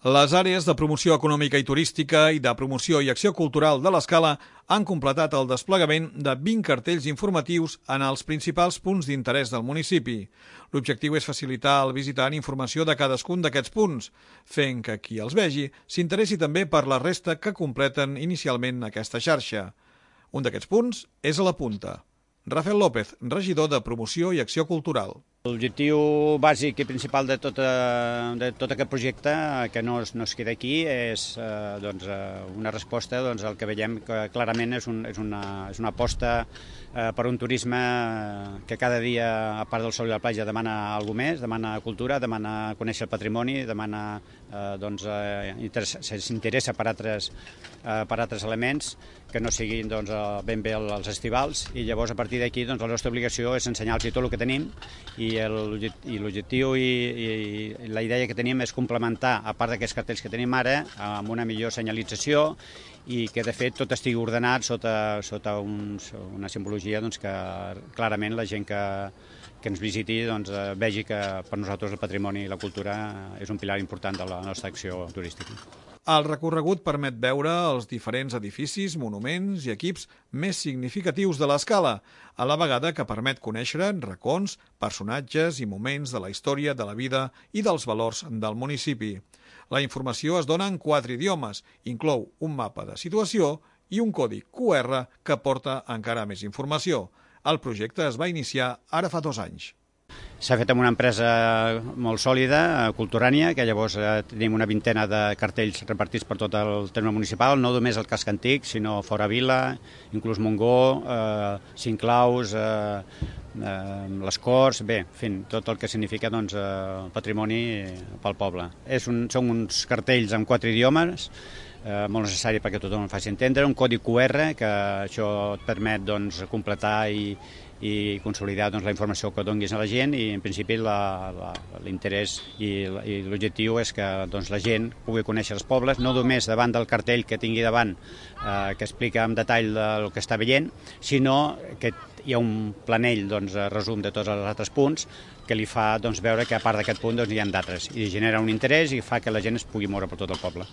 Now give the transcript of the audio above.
Les àrees de promoció econòmica i turística i de promoció i acció cultural de l'Escala han completat el desplegament de 20 cartells informatius en els principals punts d'interès del municipi. L'objectiu és facilitar al visitant informació de cadascun d'aquests punts, fent que qui els vegi s'interessi també per la resta que completen inicialment aquesta xarxa. Un d'aquests punts és a la Punta. Rafael López, regidor de Promoció i Acció Cultural. L'objectiu bàsic i principal de tot aquest projecte, que no es queda aquí, és una resposta al que veiem que clarament és una aposta per un turisme que cada dia, a part del sol i la platja, demana alguna més, demana cultura, demana conèixer el patrimoni, s'interessa per altres elements que no siguin ben bé els estivals, i llavors a partir d'aquí la nostra obligació és ensenyar-los tot el que tenim, i l'objectiu i la idea que tenim és complementar, a part d'aquests cartells que tenim ara, amb una millor senyalització i que de fet tot estigui ordenat sota una simbologia que clarament la gent que ens visiti vegi que per nosaltres el patrimoni i la cultura és un pilar important de la nostra acció turística. El recorregut permet veure els diferents edificis, monuments i equips més significatius de l'Escala, a la vegada que permet conèixer racons, personatges i moments de la història, de la vida i dels valors del municipi. La informació es dona en 4 idiomes, inclou un mapa de situació i un codi QR que porta encara més informació. El projecte es va iniciar ara fa 2 anys. S'ha fet amb una empresa molt sòlida, Culturània, que llavors tenim una vintena de cartells repartits per tot el terme municipal, no només el casc antic, sinó fora Vila, inclús Montgó, Cinclaus, les Corts, bé, en fi, tot el que significa patrimoni pel poble. Són uns cartells en 4 idiomes, molt necessari perquè tothom el faci entendre, un codi QR, que això et permet completar i consolidar la informació que donis a la gent, i en principi l'interès i l'objectiu és que la gent pugui conèixer els pobles, no només davant del cartell que tingui davant que explica en detall el que està veient, sinó que hi ha un planell resum de tots els altres punts que li fa veure que a part d'aquest punt hi ha d'altres, i genera un interès i fa que la gent es pugui moure per tot el poble.